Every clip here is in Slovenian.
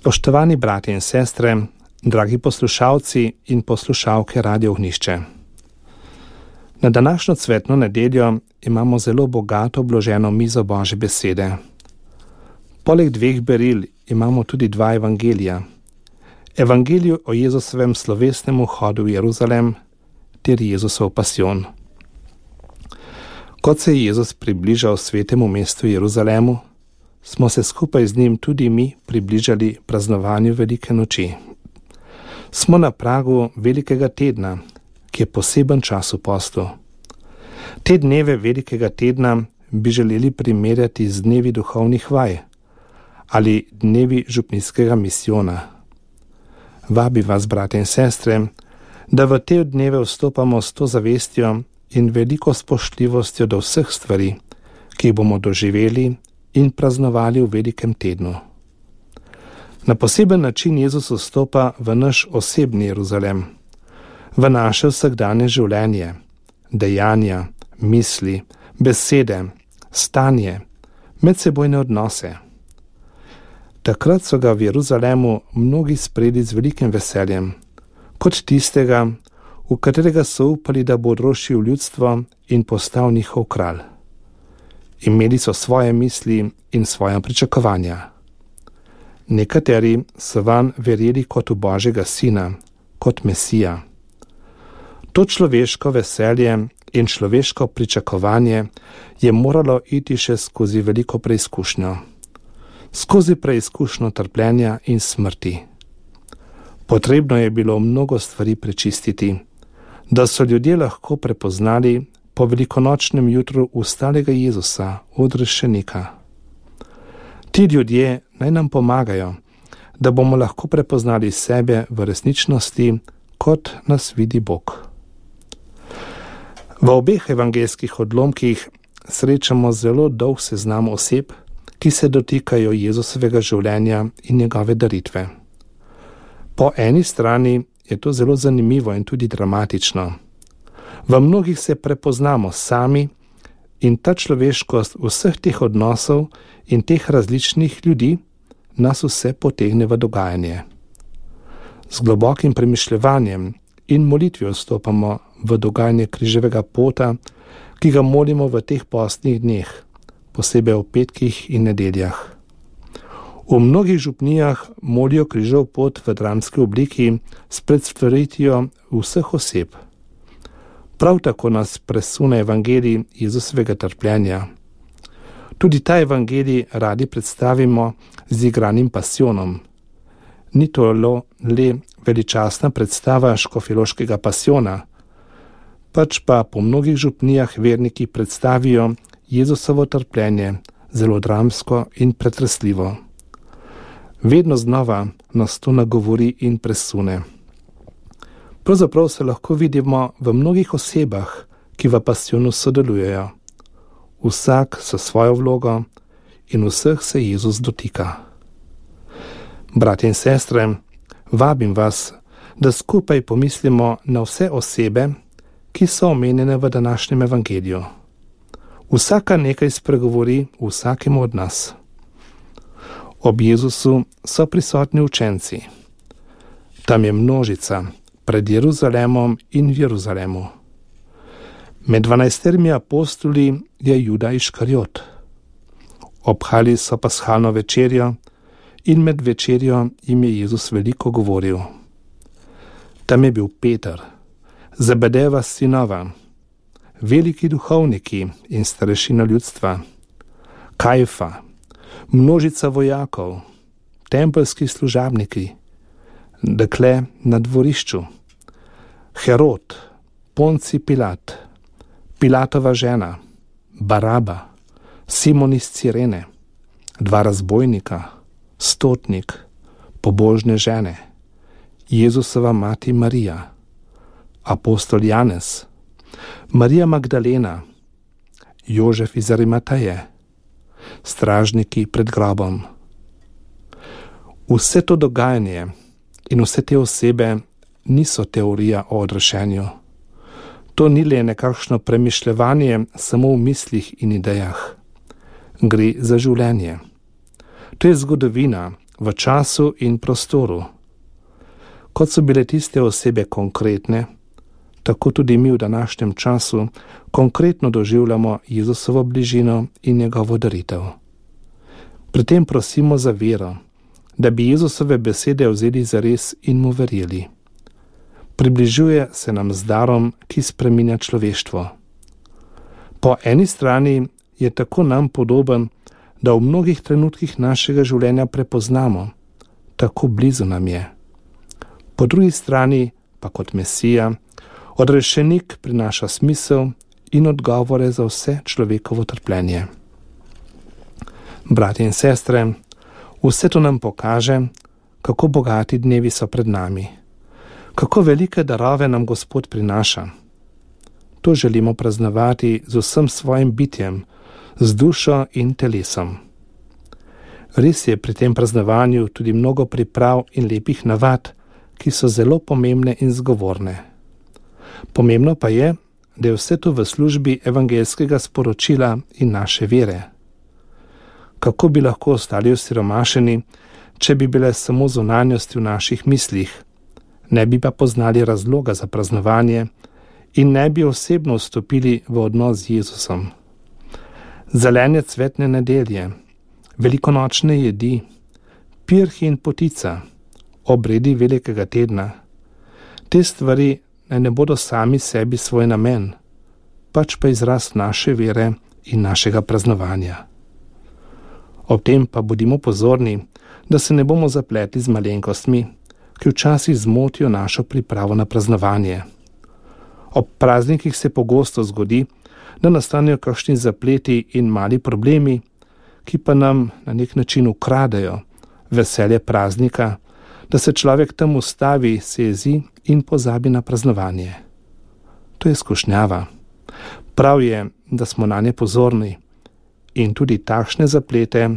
Spoštovani bratje in sestre, dragi poslušalci in poslušalke Radio Ognjišče. Na današnjo cvetno nedeljo imamo zelo bogato obloženo mizo Božje besede. Poleg dveh beril imamo tudi dva evangelija. Evangelij o Jezusovem slovesnem vhodu v Jeruzalem ter Jezusov pasijon. Kot se je Jezus približal svetemu mestu Jeruzalemu, smo se skupaj z njim tudi mi približali praznovanju Velike noči. Smo na pragu Velikega tedna, ki je poseben čas v postu. Te dneve Velikega tedna bi želeli primerjati z dnevi duhovnih vaj ali dnevi župnijskega misijona. Vabi vas, brate in sestre, da v te dneve vstopamo s to zavestjo in veliko spoštljivostjo do vseh stvari, ki jih bomo doživeli in praznovali v Velikem tednu. Na poseben način Jezus vstopa v naš osebni Jeruzalem, v naše vsakdanje življenje, dejanja, misli, besede, stanje, medsebojne odnose. Takrat so ga v Jeruzalemu mnogi sprejeli z velikim veseljem, kot tistega, v katerega so upali, da bo odročil ljudstvo in postal njihov kralj. Imeli so svoje misli in svoja pričakovanja. Nekateri so vanj verjeli kot v Božjega sina, kot Mesija. To človeško veselje in človeško pričakovanje je moralo iti še skozi veliko preizkušnjo. Skozi preizkušnjo trpljenja in smrti. Potrebno je bilo mnogo stvari prečistiti, da so ljudje lahko prepoznali po velikonočnem jutru ustalega Jezusa, odrešenika. Ti ljudje naj nam pomagajo, da bomo lahko prepoznali sebe v resničnosti, kot nas vidi Bog. V obeh evangeljskih odlomkih srečamo zelo dolg seznam oseb, ki se dotikajo Jezusovega življenja in njegove daritve. Po eni strani je to zelo zanimivo in tudi dramatično. V mnogih se prepoznamo sami in ta človeškost vseh teh odnosov in teh različnih ljudi nas vse potegne v dogajanje. Z globokim premišljevanjem in molitvijo vstopamo v dogajanje križevega pota, ki ga molimo v teh postnih dneh, posebej v petkih in nedeljah. V mnogih župnijah molijo križev pot v dramski obliki s predstavitvijo vseh oseb. Prav tako nas presune evangelij Jezusovega trpljenja. Tudi ta evangelij radi predstavimo z igranim pasijonom. Ni to le veličastna predstava škofjeloškega pasijona, pač pa po mnogih župnijah verniki predstavijo Jezusovo trpljenje zelo dramsko in pretresljivo. Vedno znova nas to nagovori in presune. Pravzaprav se lahko vidimo v mnogih osebah, ki v pasijonu sodelujejo. Vsak s svojo vlogo in vseh se Jezus dotika. Bratje in sestre, vabim vas, da skupaj pomislimo na vse osebe, ki so omenjene v današnjem evangeliju. Vsaka nekaj spregovori vsakemu od nas. Ob Jezusu so prisotni učenci. Tam je množica pred Jeruzalemom in v Jeruzalemu. Med 12 apostoli je Juda Iškariot. Obhali so pashalno večerjo in med večerjo jim je Jezus veliko govoril. Tam je bil Peter, Zebedejeva sinova, veliki duhovniki in starešina ljudstva, Kajfa, množica vojakov, tempeljski služabniki, dekle na dvorišču, Herod, Ponci Pilat, Pilatova žena, Baraba, Simon iz Cirene, dva razbojnika, stotnik, pobožne žene, Jezusova mati Marija, apostol Janez, Marija Magdalena, Jožef iz Arimateje, stražniki pred grobom. Vse to dogajanje in vse te osebe niso teorija o odrešenju. To ni le nekakšno premišljevanje samo v mislih in idejah. Gre za življenje. To je zgodovina v času in prostoru. Kot so bile tiste osebe konkretne, tako tudi mi v današnjem času konkretno doživljamo Jezusovo bližino in njegovo daritev. Pri tem prosimo za vero, da bi Jezusove besede vzeli zares in mu verjeli. Približuje se nam z darom, ki spreminja človeštvo. Po eni strani je tako nam podoben, da v mnogih trenutkih našega življenja prepoznamo, tako blizu nam je. Po drugi strani pa kot Mesija, odrešenik prinaša smisel in odgovore za vse človekovo trpljenje. Bratje in sestre, vse to nam pokaže, kako bogati dnevi so pred nami, kako velike darove nam Gospod prinaša. To želimo praznovati z vsem svojim bitjem, z dušo in telesom. Res je pri tem praznovanju tudi mnogo priprav in lepih navad, ki so zelo pomembne in zgovorne. Pomembno pa je, da je vse to v službi evangelskega sporočila in naše vere. Kako bi lahko ostali osiromašeni, če bi bile samo zunanjosti v naših mislih, ne bi pa poznali razloga za praznovanje in ne bi osebno vstopili v odnos z Jezusom. Zelenje cvetne nedelje, velikonočne jedi, pirhi in potica, obredi velikega tedna. Te stvari naj ne bodo sami sebi svoj namen, pač pa izraz naše vere in našega praznovanja. Ob tem pa bodimo pozorni, da se ne bomo zapletli z malenkostmi, ki včasih zmotijo našo pripravo na praznovanje. Ob praznikih se pogosto zgodi, da nastanejo kakšni zapleti in mali problemi, ki pa nam na nek način ukradejo veselje praznika, da se človek tam ustavi, se jezi in pozabi na praznovanje. To je skušnjava. Prav je, da smo nanje pozorni in tudi takšne zaplete,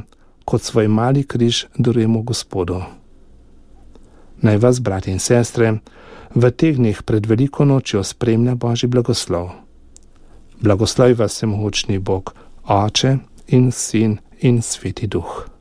kot svoj mali križ darujemo Gospodu. Naj vas, bratje in sestre, v teh dneh pred veliko nočjo spremlja Božji blagoslov. Blagoslovi vas vsemogočni Bog, Oče in Sin in Sveti Duh.